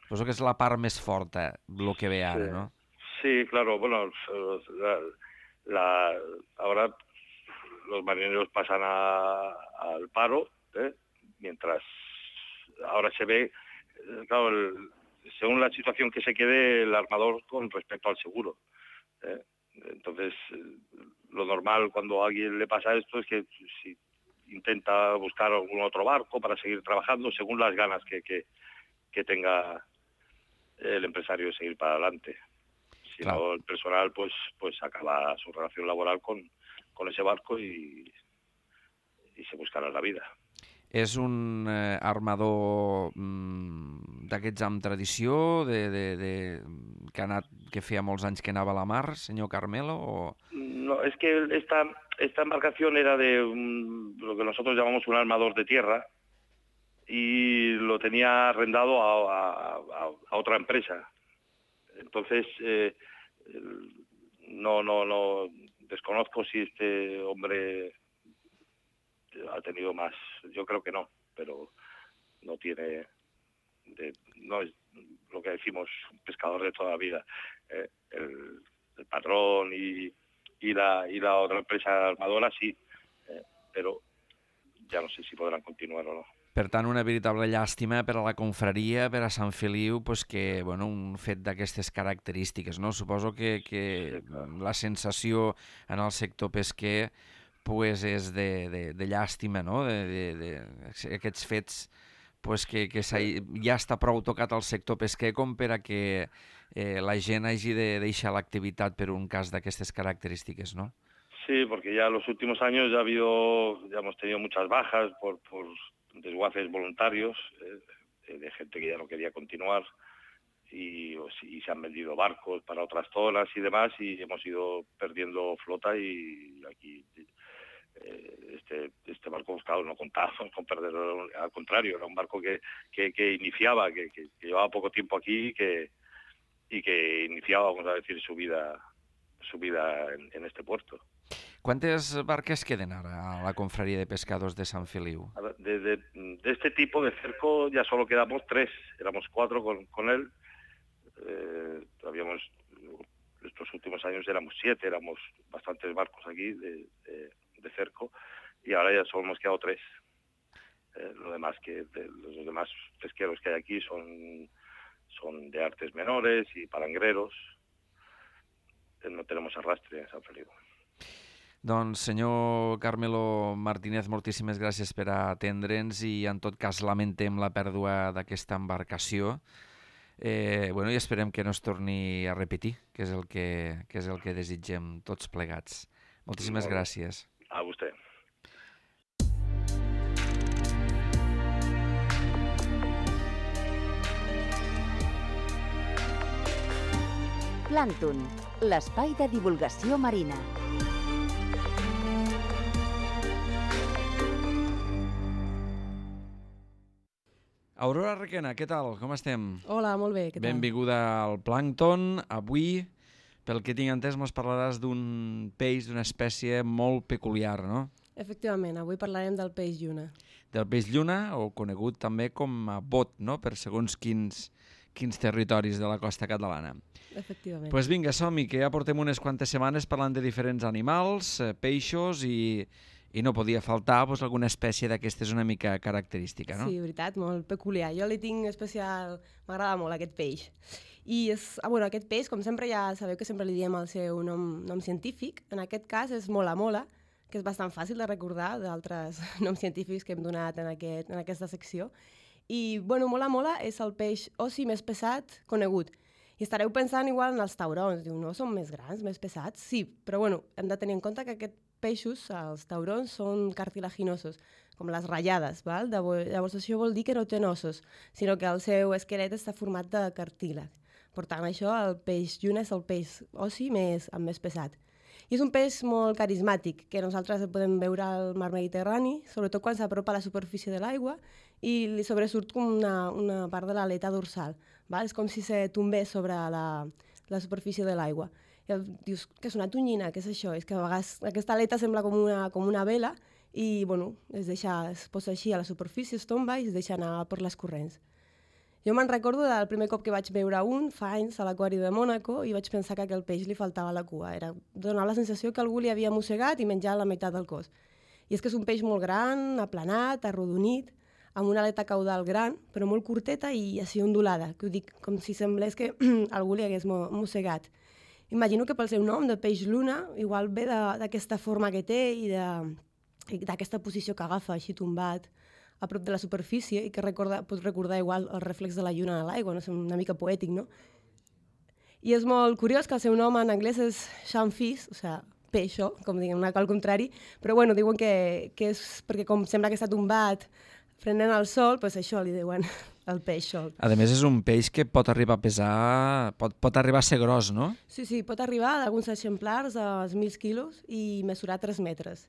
Suposo que és la part més forta, el que ve ara, ¿no? Sí, claro, bueno, ahora los marineros pasan al paro, mientras ahora se ve, claro, según la situación que se quede el armador con respecto al seguro. Entonces, lo normal cuando a alguien le pasa esto es que si intenta buscar algún otro barco para seguir trabajando según las ganas que tenga el empresario de seguir para adelante. Si no, el personal pues acaba su relación laboral con ese barco y se buscarà la vida. És un armador d'aquests amb tradició, que que feia molts anys que anava a la mar, senyor Carmelo? O... No, es que esta embarcación era de lo que nosotros llamamos un armador de tierra y lo tenía arrendado a otra empresa. Entonces, no desconozco si este hombre ha tenido más. Yo creo que no, pero no tiene... no es lo que decimos, un pescador de toda la vida. El patrón y la otra empresa armadora sí, però ja no sé si podran continuar o no. Per tant, una veritable llàstima per a la confraria, per a Sant Feliu, pues que, bueno, un fet d'aquestes característiques, no? Suposo que sí, la sensació en el sector pesquer pues, és de llàstima, no? Aquests fets pues, que ja està prou tocat el sector pesquer com per a que la gent hagi de deixar l'activitat per un cas d'aquestes característiques, ¿no? Sí, porque ya en los últimos años ya hemos tenido muchas bajas por desguaces voluntarios, de gente que ya no quería continuar y se han vendido barcos para otras zonas y demás y hemos ido perdiendo flota y aquí este barco buscado no contaba con perderlo, al contrario, era un barco que iniciaba, que llevaba poco tiempo aquí y que iniciaba, vamos a decir, su vida en este puerto. ¿Cuántas barques queden ahora a la confraria de pescados de Sant Feliu? De este tipo de cerco ya solo quedamos 3, éramos 4 con él. Estos últimos años éramos 7, éramos bastantes barcos aquí de cerco y ahora ya solo hemos quedado 3. Los demás pesqueros que hay aquí son de artes menores y palangreros. No tenemos arrastre en Sant Feliu. Doncs, senyor Carmelo Martínez, moltíssimes gràcies per atendre'ns i, en tot cas, lamentem la pèrdua d'aquesta embarcació. I esperem que no es torni a repetir, que és el que desitgem tots plegats. Moltíssimes gràcies. A vostè. Plàncton, l'espai de divulgació marina. Aurora Requena, què tal? Com estem? Hola, molt bé, què tal? Benvinguda al Plàncton. Avui, pel que tinc entès, ens parlaràs d'un peix, d'una espècie molt peculiar, no? Efectivament, avui parlarem del peix lluna. Del peix lluna, o conegut també com a bot, no? Per segons quins territoris de la costa catalana. Efectivament. Doncs vinga, som-hi, que ja portem unes quantes setmanes parlant de diferents animals, peixos i no podia faltar alguna espècie d'aquestes una mica característica, no? Sí, veritat, molt peculiar. Jo li tinc especial... M'agrada molt aquest peix. I aquest peix, com sempre, ja sabeu que sempre li diem el seu nom científic. En aquest cas és mola-mola, que és bastant fàcil de recordar d'altres noms científics que hem donat en aquesta secció. I, mola-mola és el peix ossi més pesat conegut. I estareu pensant igual en els taurons. Diu, no, són més grans, més pesats? Sí, però hem de tenir en compte que aquests peixos, els taurons, són cartilaginosos, com les ratllades, val? Llavors això vol dir que no tenen ossos, sinó que el seu esquelet està format de cartílag. Per tant, això, el peix lluna és el peix ossi amb més pesat. I és un peix molt carismàtic, que nosaltres el podem veure al mar Mediterrani, sobretot quan s'apropa a la superfície de l'aigua i li sobresurt com una part de l'aleta dorsal. Val? És com si se tombés sobre la superfície de l'aigua. I dius, que és una tonyina, què és això? És que a vegades aquesta aleta sembla com una vela i es posa així a la superfície, es tomba i es deixa anar per les corrents. Jo me'n recordo del primer cop que vaig veure fa anys a l'aquari de Mònaco i vaig pensar que a aquell peix li faltava la cua. Donava la sensació que algú li havia mossegat i menjat la meitat del cos. I és que és un peix molt gran, aplanat, arrodonit, amb una aleta caudal gran, però molt curteta i així ondulada, que ho dic com si semblés que algú li hagués mossegat. Imagino que pel seu nom, de peix lluna, igual ve d'aquesta forma que té i d'aquesta posició que agafa així tombat a prop de la superfície i que pot recordar igual el reflex de la lluna a l'aigua, no? És una mica poètic, no? I és molt curiós que el seu nom en anglès és shellfish, o sigui, peixo, com diguem, al contrari, però diuen que és perquè com sembla que està tombat prenent el sol, doncs això li diuen el peix sol. A més, és un peix que pot arribar a pesar, pot arribar a ser gros, no? Sí, pot arribar d'alguns exemplars als 1.000 quilos i mesurar 3 metres.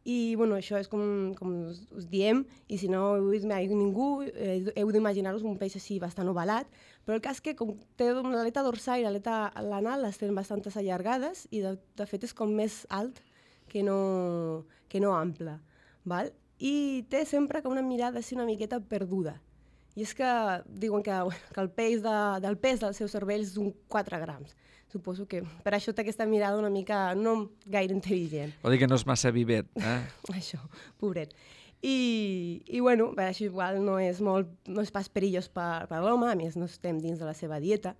I, bueno, això és com us diem, i si no heu vist mai ningú, heu d'imaginar-vos un peix així bastant ovalat, però el cas que com té l'aleta dorsal i l'aleta anal les tenen bastantes allargades i de fet és com més alt que no ample, val? I té sempre com una mirada així una miqueta perduda. I és que diuen que el pes del seu cervell és d'un 4 grams. Suposo que per això té aquesta mirada una mica no gaire intel·ligent. Vol dir que no és massa vivet, eh? Això, pobret. I bueno, això igual no és pas perillós per l'home, a més no estem dins de la seva dieta.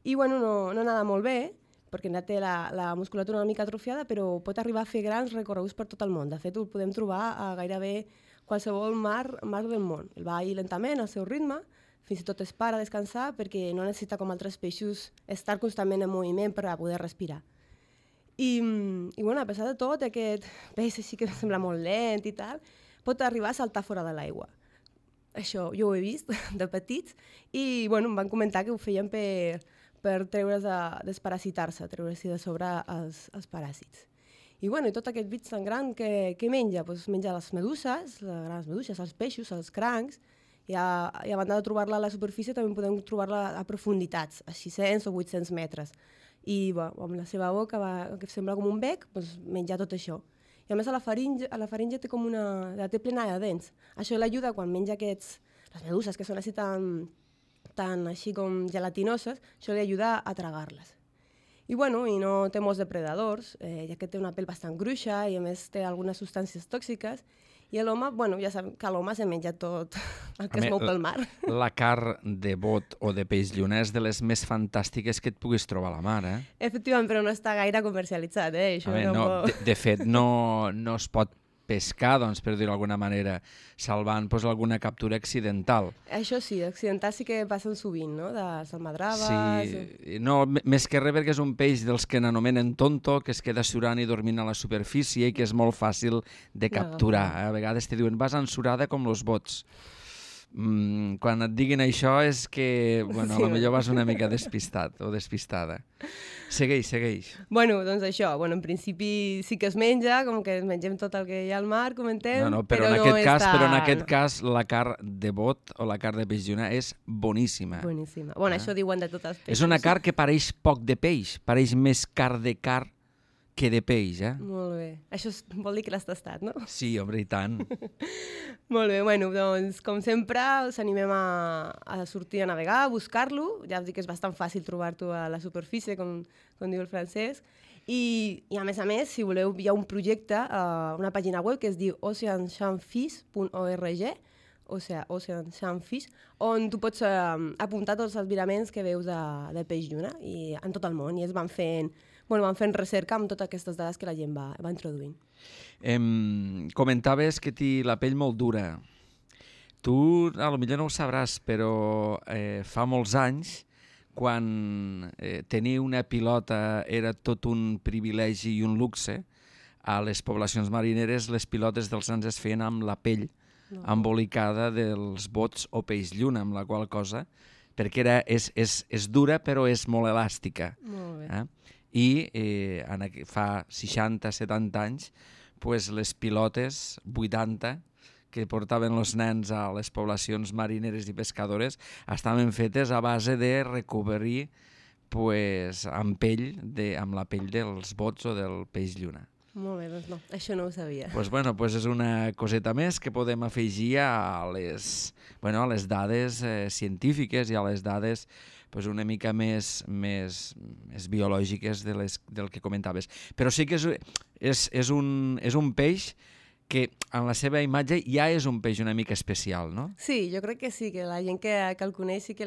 I bueno, no nada molt bé, perquè té la musculatura una mica atrofiada, però pot arribar a fer grans recorreguts per tot el món. De fet, ho podem trobar a gairebé qualsevol mar del món. El va ir lentament al seu ritme, fins i tot es para a descansar perquè no necessita, com altres peixos, estar constantment en moviment per a poder respirar. I bueno, a pesar de tot, aquest peix així que sembla molt lent i tal, pot arribar a saltar fora de l'aigua. Això jo ho he vist de petits i bueno, em van comentar que ho feien per desparasitar-se, treure-s'hi de sobre els paràsits. I bueno, tot aquest bit tan gran que menja? Pues menja les meduses, les grans meduses, els peixos, els crancs, i a banda de trobar-la a la superfície també podem trobar-la a profunditats, a 600 o 800 metres. I amb la seva boca, que sembla com un bec, menja tot això. I a més a la faringe té com la té plena de dents. Això l'ajuda quan menja les meduses que són així tan així com gelatinoses, això li ajuda a tragar-les. I bueno, i no té molts depredadors, ja que té una pell bastant gruixa i a més té algunes substàncies tòxiques. I l'home, bueno, ja sabem que l'home se menja tot el que es mou pel mar. La carn de bot o de peix lluna és de les més fantàstiques que et puguis trobar a la mar, eh? Efectivament, però no està gaire comercialitzat, eh? De fet, no es pot pescar, doncs, per dir-ho d'alguna manera, salvant alguna captura accidental. Això sí, accidental sí que passen sovint, no? De salmadraves... Sí, no, més que res perquè és un peix dels que n'anomenen tonto, que es queda surant i dormint a la superfície i que és molt fàcil de capturar. A vegades te diuen, vas ensurada com los bots. Quan et diguin això és que, bueno, potser vas una mica despistat o despistada. Segueix. Bueno, doncs això, en principi sí que es menja, com que mengem tot el que hi ha al mar, comentem, però en aquest cas la carn de bot o la carn de peix lluna és boníssima. Boníssima. Bueno, això diuen de tots els peixos. És una carn que pareix poc de peix, pareix més carn de carn que de peix, eh? Molt bé. Això vol dir que l'has tastat, no? Sí, home, i tant. Molt bé, bueno, doncs, com sempre, us animem a sortir a navegar, a buscar-lo. Ja us dic que és bastant fàcil trobar-ho a la superfície, com diu el Francesc. I a més, si voleu, hi ha un projecte, una pàgina web que es diu oceanshampfish.org, Oceanshampfish, on tu pots apuntar tots els viraments que veus de peix lluna i en tot el món, i es van fent recerca amb totes aquestes dades que la gent va introduint. Comentaves que té la pell molt dura. Tu, potser no ho sabràs, però fa molts anys, quan tenir una pilota era tot un privilegi i un luxe, a les poblacions marineres les pilotes dels nens es feien amb la pell embolicada dels bots o peix lluna, amb la qual cosa, perquè és dura però és molt elàstica. Molt bé. I fa 60-70 anys les pilotes, 80, que portaven els nens a les poblacions marineres i pescadores, estaven fetes a base de recobrir amb la pell dels bots o del peix lluna. Molt bé, doncs no, això no ho sabia. Doncs és una coseta més que podem afegir a les dades científiques i a les dades una mica més biològiques del que comentaves. Però sí que és un peix que en la seva imatge ja és un peix una mica especial, no? Sí, jo crec que sí, que la gent que el coneix sí que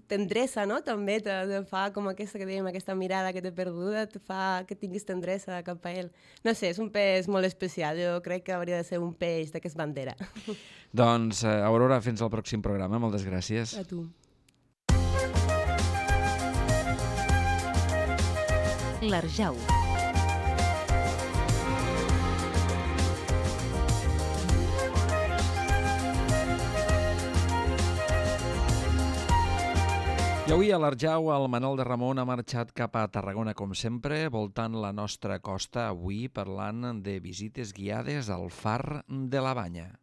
t'endreça, no? També te fa com aquesta que dèiem, aquesta mirada que t'he perduda, te fa que tinguis tendresa cap a ell. No sé, és un peix molt especial, jo crec que hauria de ser un peix d'aquest bandera. Doncs, Aurora, fins al pròxim programa, moltes gràcies. A tu. L'Arjau. I avui a l'Arjau el Manol de Ramon ha marxat cap a Tarragona com sempre, voltant la nostra costa, avui parlant de visites guiades al Far de la Banya.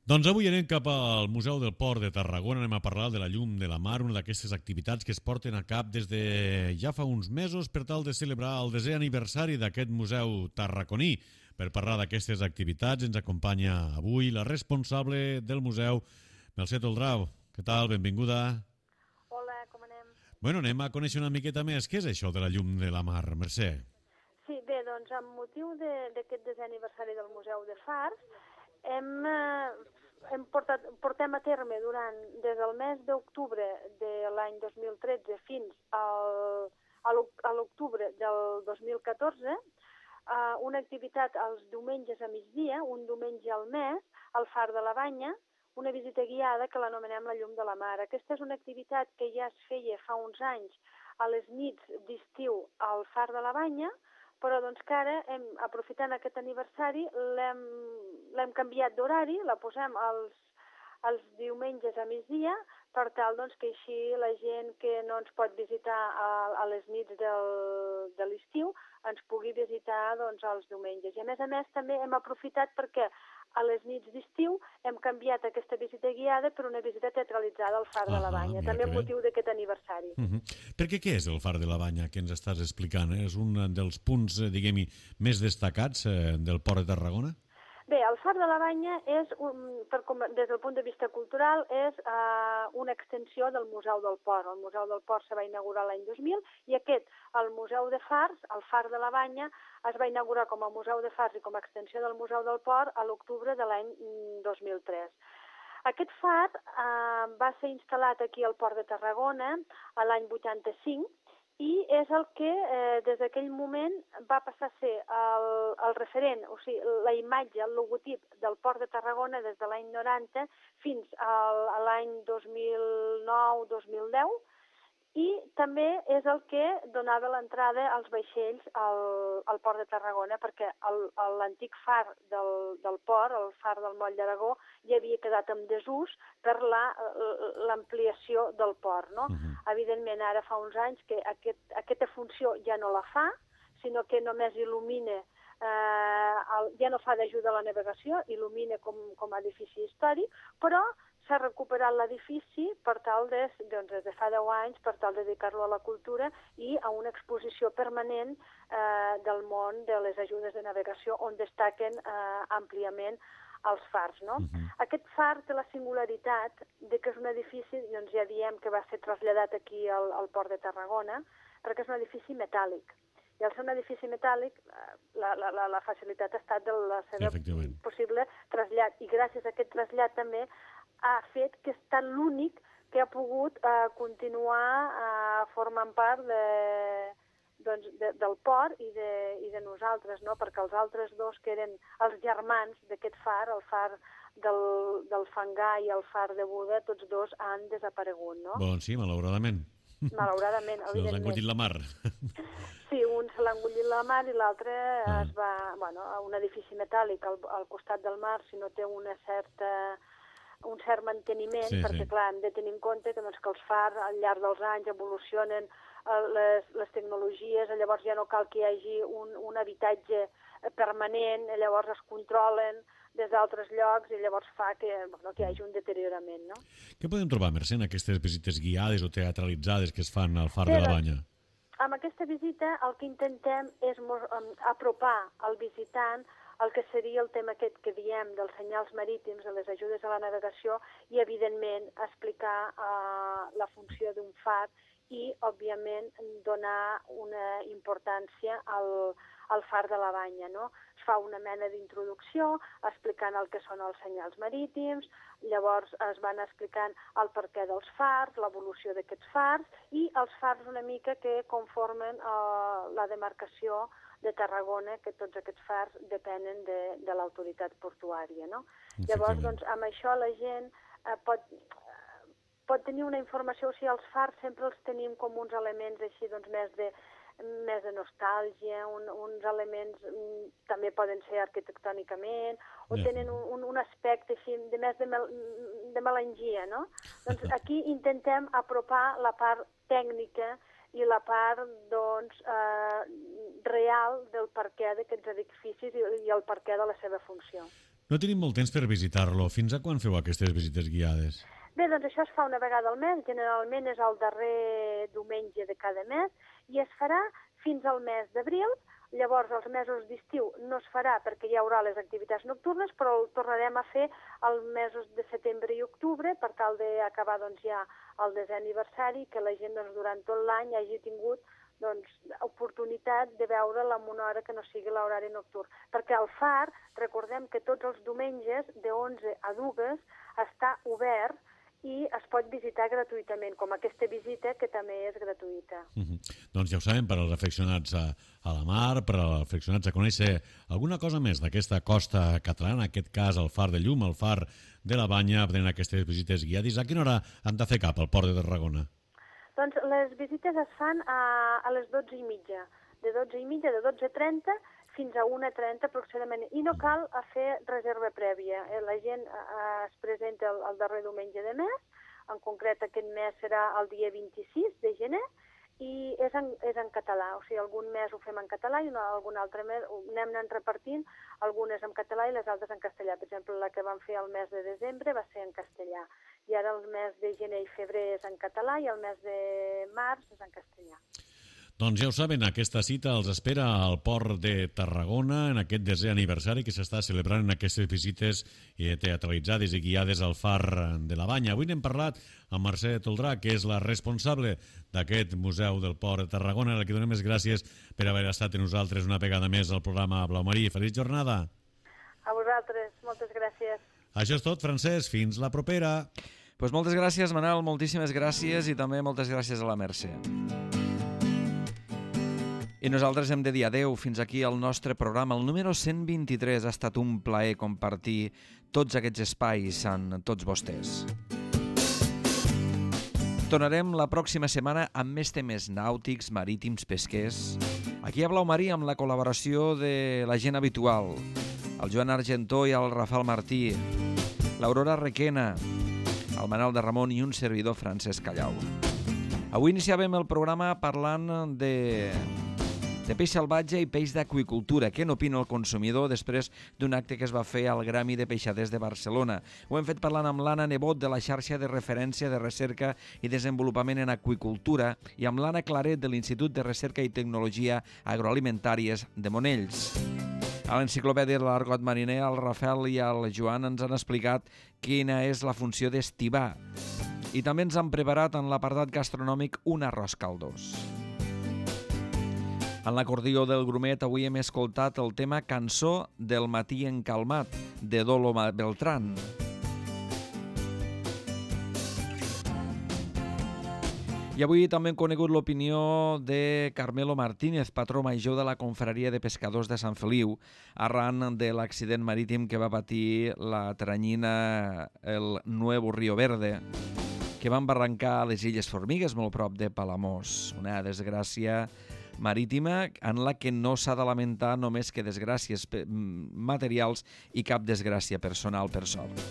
Doncs avui anem cap al Museu del Port de Tarragona, anem a parlar de la llum de la mar, una d'aquestes activitats que es porten a cap des de ja fa uns mesos per tal de celebrar el 10è aniversari d'aquest museu tarraconí. Per parlar d'aquestes activitats ens acompanya avui la responsable del museu, Mercè Toldrau. Què tal? Benvinguda. Hola, com anem? Bueno, anem a conèixer una miqueta més. Què és això de la llum de la mar, Mercè? Sí, bé, doncs amb motiu d'aquest 10è aniversari del Museu de Fars, portem a terme des del mes d'octubre de l'any 2013 fins a l'octubre del 2014 una activitat els diumenges a migdia, un diumenge al mes, al Far de la Banya, una visita guiada que l'anomenem la llum de la mar. Aquesta és una activitat que ja es feia fa uns anys a les nits d'estiu al Far de la Banya, però doncs que ara, aprofitant aquest aniversari, l'hem canviat d'horari, la posem els diumenges a migdia, per tal doncs, que així la gent que no ens pot visitar a les nits de l'estiu ens pugui visitar doncs, els diumenges. I a més també hem aprofitat perquè a les nits d'estiu hem canviat aquesta visita guiada per una visita teatralitzada al Far de la Banya, també amb motiu d'aquest aniversari. Perquè què és el Far de la Banya que ens estàs explicant? És un dels punts, diguem-hi, més destacats del Port de Tarragona? Bé, el Far de la Banya és, des del punt de vista cultural, és una extensió del Museu del Port. El Museu del Port se va inaugurar l'any 2000 i el Museu de Fars, el Far de la Banya, es va inaugurar com a Museu de Fars i com a extensió del Museu del Port a l'octubre de l'any 2003. Aquest far va ser instal·lat aquí al Port de Tarragona l'any 85 i és el que des d'aquell moment va passar a ser el referent, o sigui, la imatge, el logotip del Port de Tarragona des de l'any 90 fins a l'any 2009-2010 i també és el que donava l'entrada als vaixells al Port de Tarragona perquè l'antic far del port, el far del Moll d'Aragó, ja havia quedat en desús per l'ampliació del port, no? Evidentment, ara fa uns anys que aquesta funció ja no la fa, sinó que només il·lumina, ja no fa d'ajuda a la navegació, il·lumina com a edifici històric, però s'ha recuperat l'edifici per tal des de fa 10 anys, per tal de dedicar-lo a la cultura i a una exposició permanent del món de les ajudes de navegació on destaquen àmpliament els fars, no? Aquest far té la singularitat de que és un edifici, doncs ja diem que va ser traslladat aquí al Port de Tarragona, perquè és un edifici metàl·lic. I al ser un edifici metàl·lic, la facilitat ha estat de la seva possible trasllat. I gràcies a aquest trasllat també ha fet que ha estat l'únic que ha pogut continuar formant part del port i de nosaltres, no? Perquè els altres dos, que eren els germans d'aquest far, el far del Fangar i el far de Buda, tots dos han desaparegut, no? Doncs sí, malauradament. Malauradament, evidentment. Se l'ha engullit la mar. Sí, un se l'ha engullit la mar i l'altre es va... Bueno, un edifici metàl·lic al costat del mar, si no té un cert manteniment, perquè clar, hem de tenir en compte que els fars al llarg dels anys evolucionen les tecnologies, llavors ja no cal que hi hagi un habitatge permanent, llavors es controlen des d'altres llocs i llavors fa que hi hagi un deteriorament, no? Què podem trobar, Mercè, en aquestes visites guiades o teatralitzades que es fan al Far de la Banya? Amb aquesta visita el que intentem és apropar al visitant el que seria el tema aquest que diem dels senyals marítims, de les ajudes a la navegació i, evidentment, explicar la funció d'un far i, òbviament, donar una importància al far de la Banya, no? Es fa una mena d'introducció explicant el que són els senyals marítims, llavors es van explicant el perquè dels fars, l'evolució d'aquests fars i els fars una mica que conformen la demarcació de Tarragona, que tots aquests fars depenen de l'autoritat portuària, no? Llavors, doncs, amb això la gent pot tenir una informació, o sigui, els fars sempre els tenim com uns elements així, doncs, més de nostàlgia, uns elements també poden ser arquitectònicament, o tenen un aspecte així, més de melangia, no? Doncs aquí intentem apropar la part tècnica i la part, doncs, real del perquè d'aquests edificis i el perquè de la seva funció. No tenim molt temps per visitar-lo. Fins a quan feu aquestes visites guiades? Bé, doncs això es fa una vegada al mes, generalment és el darrer diumenge de cada mes, i es farà fins al mes d'abril. Llavors, els mesos d'estiu no es farà perquè hi haurà les activitats nocturnes, però el tornarem a fer els mesos de setembre i octubre per tal d'acabar doncs, ja el 10è aniversari, que la gent doncs, durant tot l'any hagi tingut doncs, oportunitat de veure'l en una hora que no sigui l'horari nocturn. Perquè el far, recordem que tots els diumenges de 11 a 2 està obert i es pot visitar gratuïtament, com aquesta visita que també és gratuïta. Doncs ja ho sabem, per als afeccionats a la mar, per als afeccionats a conèixer alguna cosa més d'aquesta costa catalana, en aquest cas el Far de Llum, el Far de la Banya, prenent aquestes visites guiades. A quina hora han de fer cap al Port de Tarragona? Doncs les visites es fan a les 12:30, de 12:30 fins a 1:30 aproximadament, i no cal fer reserva prèvia. La gent es presenta el darrer diumenge de mes, en concret aquest mes serà el dia 26 de gener, i és en català, o sigui, algun mes ho fem en català i algun altre mes ho anem repartint, algunes en català i les altres en castellà. Per exemple, la que vam fer el mes de desembre va ser en castellà, i ara el mes de gener i febrer és en català i el mes de març és en castellà. Doncs ja ho saben, aquesta cita els espera al Port de Tarragona en aquest 10è aniversari que s'està celebrant en aquestes visites teatralitzades i guiades al Far de la Banya. Avui n'hem parlat amb Mercè Toldrà, que és la responsable d'aquest Museu del Port de Tarragona, a la que donem les gràcies per haver estat amb nosaltres una vegada més al programa Blau Marí. Feliç jornada! A vosaltres, moltes gràcies. Això és tot, Francesc. Fins la propera. Pues moltes gràcies, Manel, moltíssimes gràcies, i també moltes gràcies a la Mercè. I nosaltres hem de dir adeu. Fins aquí el nostre programa, el número 123. Ha estat un plaer compartir tots aquests espais amb tots vostès. Tornarem la pròxima setmana amb més temes nàutics, marítims, pesquers. Aquí a Blau Marí, amb la col·laboració de la gent habitual, el Joan Argentó i el Rafael Martí, l'Aurora Requena, el Manel de Ramon i un servidor, Francesc Callau. Avui iniciàvem el programa parlant de peix salvatge i peix d'aqüicultura. Què n'opina el consumidor després d'un acte que es va fer al Gremi de Peixaders de Barcelona? Ho hem fet parlant amb l'Anna Nebot, de la xarxa de referència de recerca i desenvolupament en aqüicultura, i amb l'Anna Claret, de l'Institut de Recerca i Tecnologia Agroalimentàries de Monells. A l'enciclopèdia de l'Argot Mariner, el Rafael i el Joan ens han explicat quina és la funció d'estivar. I també ens han preparat en l'apartat gastronòmic un arròs caldós. En l'acordió del Grumet avui hem escoltat el tema Cançó del matí encalmat, de Dolo Beltrán. I avui també hem conegut l'opinió de Carmelo Martínez, patró major de la Confraria de Pescadors de Sant Feliu, arran de l'accident marítim que va patir la teranyina el Nuevo Río Verde, que van barrancar a les Illes Formigues, molt prop de Palamós. Una desgràcia marítima en la que no s'ha de lamentar només que desgràcies materials i cap desgràcia personal, per sort.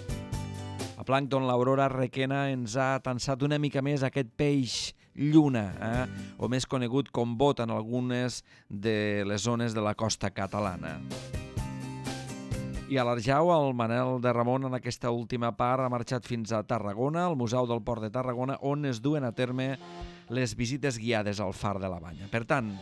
A Plàncton, l'Aurora Requena ens ha atansat una mica més aquest peix lluna, o més conegut com bot en algunes de les zones de la costa catalana. I a l'Arjau, el Manel de Ramon, en aquesta última part, ha marxat fins a Tarragona, al Museu del Port de Tarragona, on es duen a terme les visites guiades al Far de la Banya. Per tant,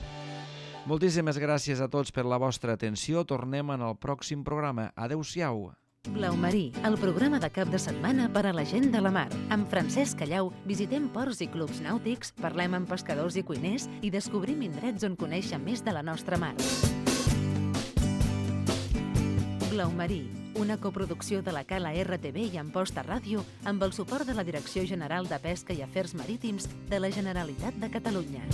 moltíssimes gràcies a tots per la vostra atenció. Tornem en el pròxim programa. Adéu-siau. Blau Marí, el programa de cap de setmana per a la gent de la mar. Amb Francesc Callau visitem ports i clubs nàutics, parlem amb pescadors i cuiners i descobrim indrets on conèixer més de la nostra mar. Blau Marí, una coproducció de la Cala RTV i Amposta Ràdio amb el suport de la Direcció General de Pesca i Afers Marítims de la Generalitat de Catalunya.